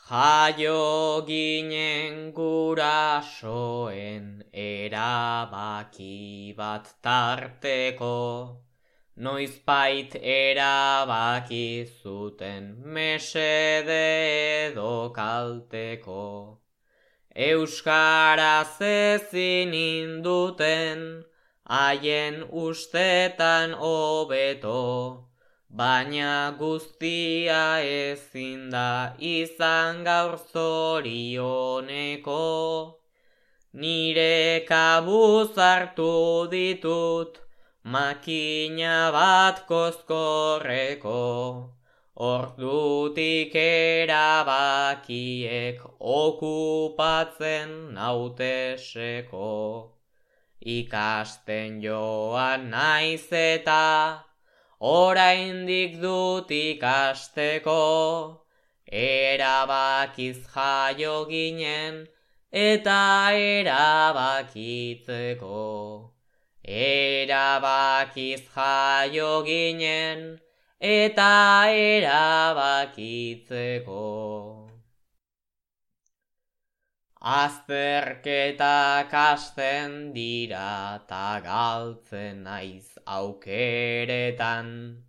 Jaio ginen gurasoen erabaki bat tarteko, noizbait erabaki zuten mesede edo kalteko. Euskaraz ezin induten, haien ustetan hobeto, baina guztia ezin da izan gaur zorioneko. Nire kabuz hartu ditut makina bat kozkorreko, ordutik erabakiek okupatzen nauteseko. Ikasten joan naiz eta oraindik dut ikasteko, erabakiz jaio ginen eta erabakitzeko. Erabakiz jaio ginen eta erabakitzeko. Azterketak hasten dira ta galtzen naiz aukeretan,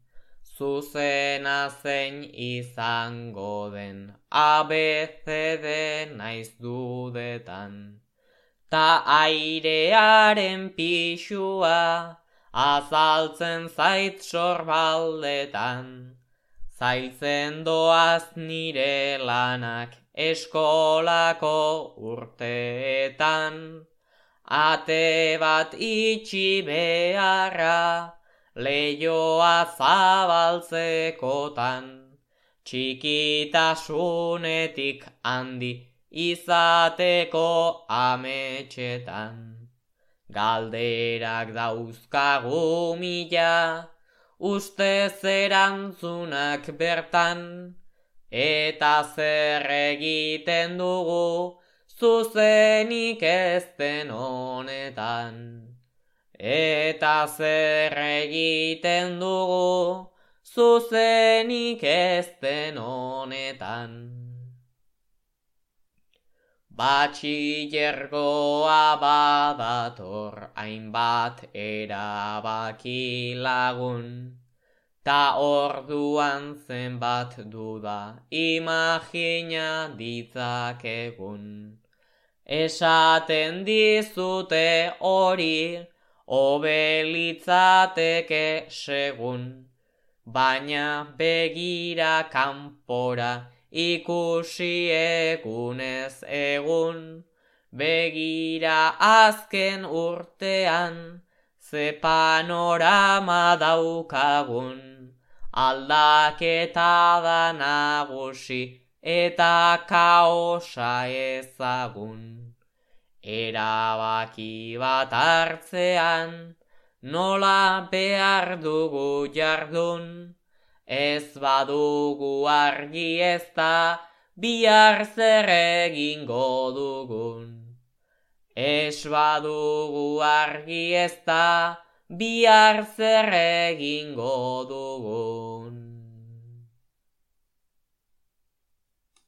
zuzena zein izango den ABCD naiz dudetan. Ta airearen pixua azaltzen zait sorbaldetan, zailtzen doaz nire lanak eskolako urteetan. Ate bat itxi beharra leioa zabaltzekotan, txikitasunetik handi izateko ametxetan. Galderak dauzkagu mila, ustez erantzunak bertan, eta zer egiten dugu zuzenik ez den honetan. Eta zer egiten dugu zuzenik ez den honetan. Batxilergoa badator hainbat erabaki lagun, ta orduan zenbat duda imagina ditzakegun. Esaten dizute hori hobe litzateke segun, baina begira kanpora ikusi egunez egun. Begira azken urtean ze panorama daukagun, aldaketa da nagusi eta kaosa ezagun. Erabaki bat hartzean nola behar dugu jardun, ez badugu argi ez da bihar zer egingo dugun. Ez badugu argi ez da bihar zer egingo dugun.